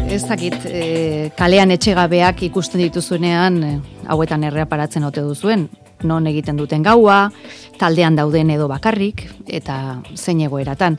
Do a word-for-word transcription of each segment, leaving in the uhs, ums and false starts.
ez dakit, e, kalean etxegabeak ikusten dituzuenean, e, hauetan erreaparatzen ote duzuen, non egiten duten gaua, taldean dauden edo bakarrik, eta zein egoeratan.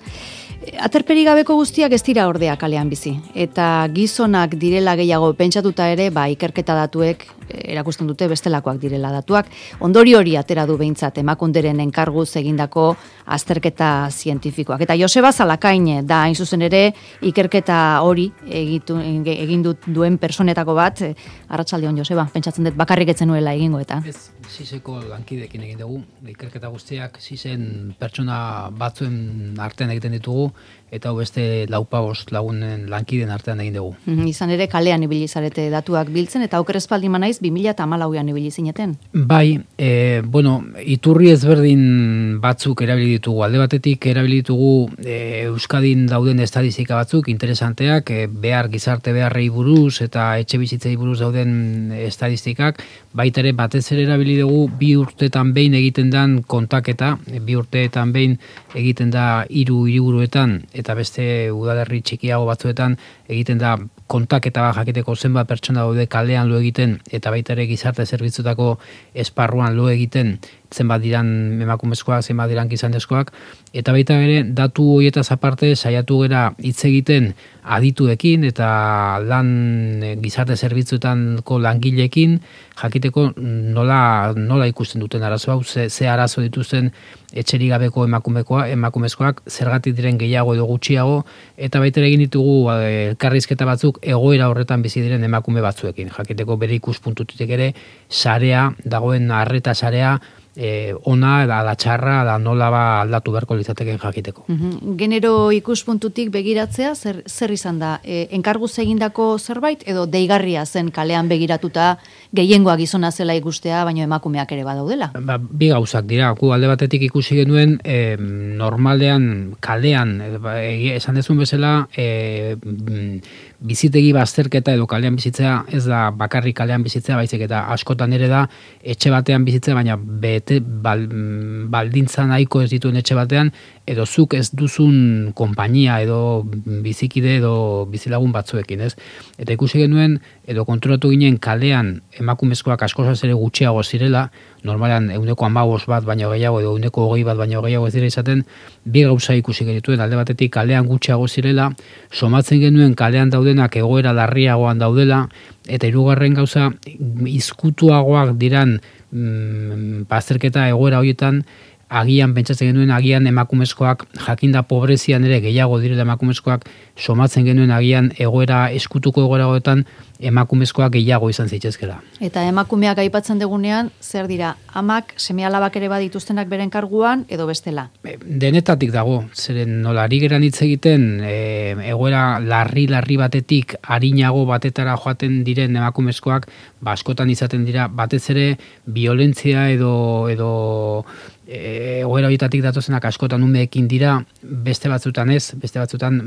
Aterperi gabeko guztiak ez dira ordea kalean bizi, eta gizonak direla gehiago pentsatuta ere, ba, ikerketa datuek erakusten dute bestelakoak direla datuak. Ondori hori atera du behintzat emakunderen enkarguz egindako azterketa zientifikoak. Eta Joseba Zalakain da hain zuzen ere ikerketa hori egitu, egin duen personetako bat. Arratsaldeon Joseba, pentsatzen dut bakarrik etzen nuela egingo eta. Ez, siseko lankidekin egin dugu, ikerketa guztiak sisen pertsona batzuen artean egiten ditugu, eta beste laupabost lagunen lankiden artean egin dugu. Mm, izan ere kalean ibili zarete datuak biltzen, eta oker espaldi manaiz bi mila hamalauan ibili zineten. Bai, e, bueno, iturri ezberdin batzuk erabili ditugu. Alde batetik erabili ditugu e, Euskadin dauden estadistika batzuk interesanteak, e, behar gizarte beharrei buruz eta etxe bizitzei buruz dauden estadistikak, baita ere batez ere erabili dugu bi urteetan behin egiten den kontaketa, bi urteetan behin egiten da hiru hiriburuetan eta beste udalerri txikiago batzuetan egiten da kontaketa bat jakiteko zenbat pertsona daude kalean lo egiten eta baita ere gizarte zerbitzutako esparruan lo egiten zenbat diran emakumezkoak, zenbat diran gizonezkoak, eta baita ere datu horietaz aparte saiatu gera hitz egiten adituekin eta lan gizarte zerbitzuetanko langileekin jakiteko nola nola ikusten duten arazo hau, ze, ze arazo dituzten etxerik gabeko emakumekoa, emakumezkoak, zergatik diren gehiago edo gutxiago, eta baita egin ditugu elkarrizketa batzuk egoera horretan bizi diren emakume batzuekin. Jakiteko bere ikuspuntutik ere sarea dagoen arreta sarea E, ona, ala txarra, ala nola ba aldatu beharko litzateken jakiteko. Mm-hmm. Genero ikuspuntutik begiratzea, zer, zer izan da? E, enkarguz egindako zerbait, edo deigarria zen kalean begiratuta gehiengoa gizona zela ikustea, baino emakumeak ere badaudela? Ba, bi gauzak dira, gu alde batetik ikusi genuen, e, normalean, kalean, e, esan dezun bezala, e, bizitegi bazterketa edo kalean bizitzea, ez da bakarrik kalean bizitzea, baizik eta askotan ere da etxe batean bizitzea, baina bete bal, baldintza nahiko ez dituen etxe batean, edo zuk ez duzun konpainia edo bizikide edo bizilagun batzuekin, ez? Eta ikusi genuen, edo kontrolatu ginen kalean emakumezkoak askozaz ere gutxiago zirela, normalean ehuneko hamabost bat baino gehiago edo ehuneko hogei bat baino gehiago ez dira izaten, bi gauza ikusi genituen, alde batetik kalean gutxiago zirela, somatzen genuen kalean daudenak egoera larriagoan daudela, eta hirugarren gauza izkutuagoak diran mm, bazterketa egoera horietan, agian pentsatzen genuen agian emakumezkoak jakinda pobrezian ere gehiago direla emakumezkoak, somatzen genuen agian egoera eskutuko egoeragoetan emakumezkoak gehiago izan zitzezkela. Eta emakumeak aipatzen dugunean, zer dira, amak seme-alabak ere badituztenak beren karguan edo bestela? Denetatik dago, zeren nola ari geran hitz egiten e, egoera larri-larri batetik harinago batetara joaten diren emakumezkoak, ba, askotan izaten dira, batez ere violentzia edo edo egoera horietatik datozenak askotan umeekin dira, beste batzutan ez, beste batzutan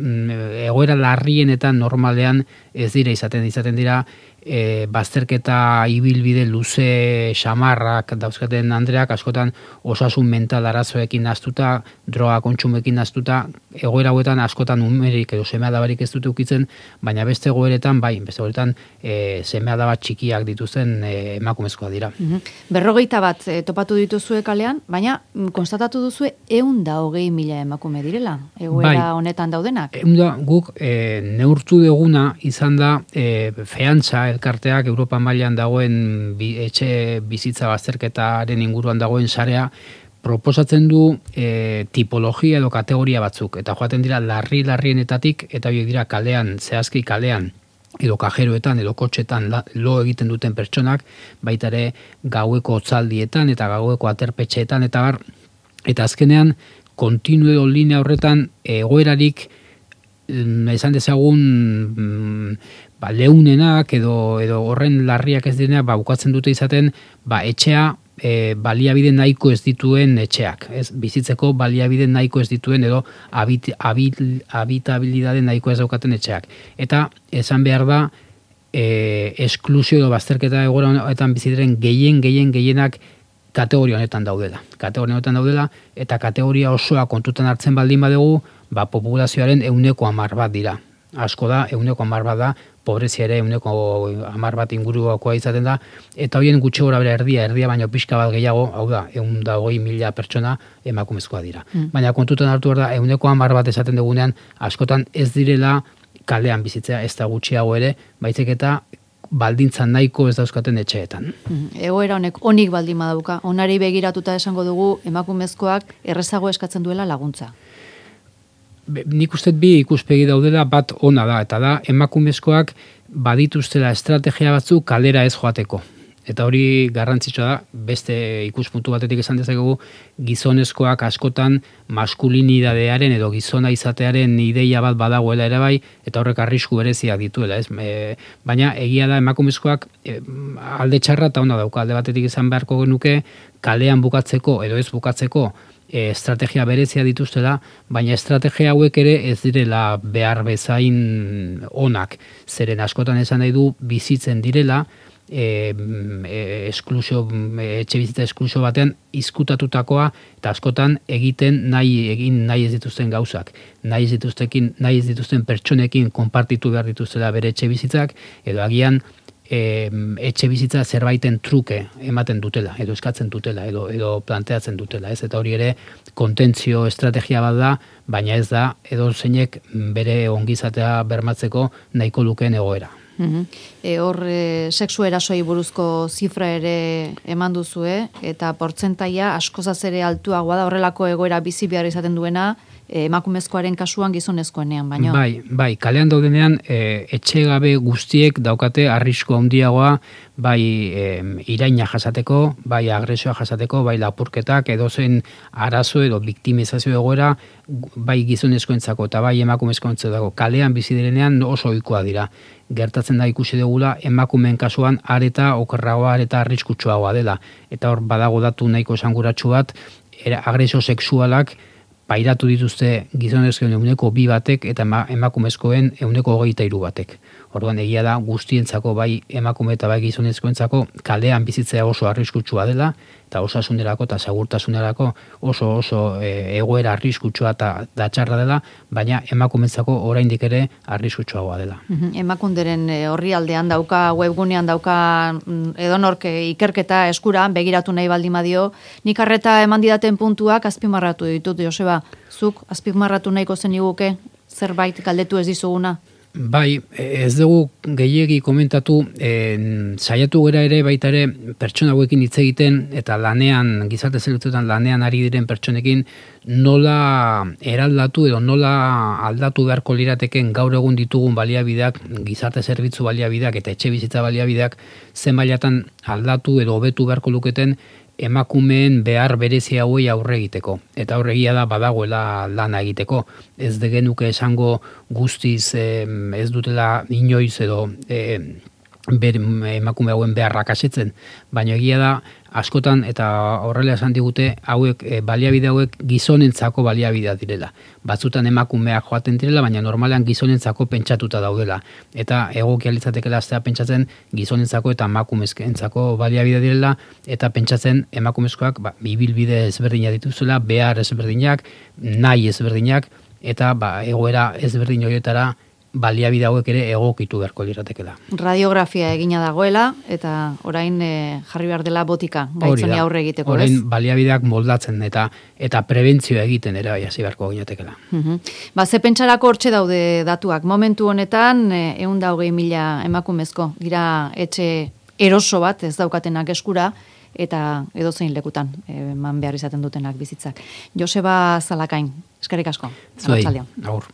egoera larrienetan normalean ez dira izaten, izaten dira e, bazterketa ibilbide luze xamarrak dauzkaten andreak askotan osasun mental arazoekin naztuta, droga kontsumekin naztuta, egoera hauetan askotan umerik edo seme-alabarik ez dute ukitzen, baina beste egoeretan, bai, beste egoeretan e, seme-alaba txikiak dituzten e, emakumezkoa dira. Mm-hmm. Berrogeita bat e, topatu dituzue kalean, baina konstatatu duzue ehun da hogei mila emakume direla, egoera bai, honetan daudenak? Ehun da guk e, neurtu duguna izan da e, feantza elkarteak Europa mailan dagoen bi, etxe bizitza bazterketaren inguruan dagoen sarea proposatzen du e, tipologia edo kategoria batzuk, eta joaten dira larri-larrienetatik, eta horiek dira kalean, zehazki kalean, edo kajeroetan, edo kotxetan lo egiten duten pertsonak, baita ere gaueko otzaldietan eta gaueko aterpetxeetan, eta bar, eta azkenean, kontinu edo linea horretan egoerarik esan dezagun ba, leunenak edo, edo horren larriak ez direnak ba, bukatzen dute izaten ba, etxea e, baliabide nahiko ez dituen etxeak. Ez? Bizitzeko baliabide nahiko ez dituen edo habit, habit, habitabilidade nahiko ez daukaten etxeak. Eta esan behar da e, esklusio edo bazterketa egoera honetan bizitzen gehien, gehien, gehienak kategoria honetan daudela. Kategoria honetan daudela eta kategoria osoa kontutan hartzen baldin badugu, ba, populazioaren ehuneko hamar bat dira. asko da, ehuneko hamar bat da, pobrezia ere ehuneko hamar bat ingurukoa izaten da, eta horien gutxi gora bera erdia, erdia baino pixka bat gehiago, hau da, ehun eta hogei mila pertsona emakumezkoa dira. Mm. Baina kontutan hartu behar da, ehuneko hamar bat esaten dugunean, askotan ez direla kalean bizitzea, ez da gutxiago ere, baizik eta baldintzan nahiko ez dauzkaten etxeetan. Egoera honek onik baldin badauka, onari begiratuta esango dugu emakumezkoak errezago eskatzen duela laguntza. Be, nik uste bi ikuspegi daudela, bat ona da, eta da emakumezkoak badituztela estrategia batzuk kalera ez joateko. Eta hori garrantzitsua da, beste ikuspuntu batetik esan dezakegu, gizonezkoak askotan maskulinidadearen edo gizona izatearen ideia bat badagoela ere bai, eta horrek arrisku bereziak dituela, ez? E, baina egia da emakumezkoak e, alde txarra eta ona dauka, alde batetik izan beharko genuke kalean bukatzeko edo ez bukatzeko e, estrategia berezia dituztela, baina estrategia hauek ere ez direla behar bezain onak, zeren askotan esan nahi du bizitzen direla, E, e, esklusio, e, etxe bizitza esklusio batean izkutatutakoa eta askotan egiten nahi egin nahi ez dituzten gauzak, nahi ez dituztekin, nahi ez dituzten pertsonekin konpartitu behar dituztela bere etxe bizitzak, edo agian e, etxe bizitza zerbaiten truke ematen dutela, edo eskatzen dutela, edo, edo planteatzen dutela, ez? Eta hori ere kontentzio estrategia bat da, baina ez da edo zeinek bere ongizatea bermatzeko nahiko lukeen egoera. Uhum. E, hor, e, sexu erasoi buruzko zifra ere eman duzue, eta portzentaia askozaz ere altuagoa da, horrelako egoera bizi behar izaten duena, e, emakumezkoaren kasuan gizonezkoenean, baino. Bai, bai, kalean daudenean, e, etxegabe guztiek daukate arrisku handiagoa, bai e, iraina jasateko, bai agresioa jasateko, bai lapurketak, edozen arazo edo biktimizazio egoera, bai gizonezkoentzako eta bai emakumezkoentzako kalean bizi direnean oso ohikoa dira. Gertatzen da ikusi dugula emakumeen kasuan areta okerragoa, areta arriskutsuagoa dela. Eta hor badago datu nahiko esanguratsu bat, agresio sexualak pairatu dituzte gizonezkoen ehuneko bi batek eta emakumezkoen ehuneko hogeita hiru batek. Orduan egia da guztientzako bai emakume eta bai gizonezkoentzako kalean bizitzea oso arriskutsua dela, eta osasunerako eta segurtasunerako oso oso e, egoera arriskutsua eta datxarra dela, baina emakumeentzako oraindik ere arriskutsuagoa dela. Uhum. Emakunderen horri aldean dauka, webgunean dauka edonork ikerketa eskura, begiratu nahi baldin badio, nik arreta eman didaten puntuak azpimarratu ditut, Joseba, zuk azpimarratu nahiko zeniguke zerbait galdetu ez dizuguna? Bai, ez dugu gehiegi komentatu, e, saiatu gera ere baita ere pertsona hauekin hitz egiten eta lanean, gizarte zerbitzuetan lanean ari diren pertsonekin nola eraldatu edo nola aldatu beharko lirateken gaur egun ditugun baliabideak, gizarte zerbitzu baliabideak eta etxe bizitza baliabideak zen mailatan aldatu edo hobetu beharko luketen emakumeen behar berezi hauei aurre egiteko. Eta aurregia da badagoela lana egiteko. Ez de genuke esango guztiz eh, ez dutela inoiz edo eh, ber, emakume hauen beharrak asetzen. Baina egia da askotan eta horrela esan digute hauek e, baliabide hauek gizonentzako baliabidea direla. Batzutan emakumeak joaten direla, baina normalean gizonentzako pentsatuta daudela. Eta egokia litzatekeela astea pentsatzen gizonentzako eta emakumezkentzako baliabidea direla, eta pentsatzen emakumezkoak ba, ibilbide ezberdina dituzela, behar ezberdinak, nahi ezberdinak, eta ba, egoera ezberdin horietara baliabide hauek ere egokitu beharko liratekela. Radiografia egina dagoela, eta orain e, jarri behar dela botika, gaitzoni aurre egiteko, orain, ez? Orain baliabideak moldatzen eta eta prebentzioa egiten ere bai hasi beharko ginatekela. Uh-huh. Ba, ze pentsarako hortxe daude datuak. Momentu honetan, ehun eta hogei mila emakumezko dira etxe eroso bat, ez daukatenak eskura, eta edozein lekutan eman behar izaten dutenak bizitzak. Joseba Zalakain, eskerrik asko. Zuei, agur.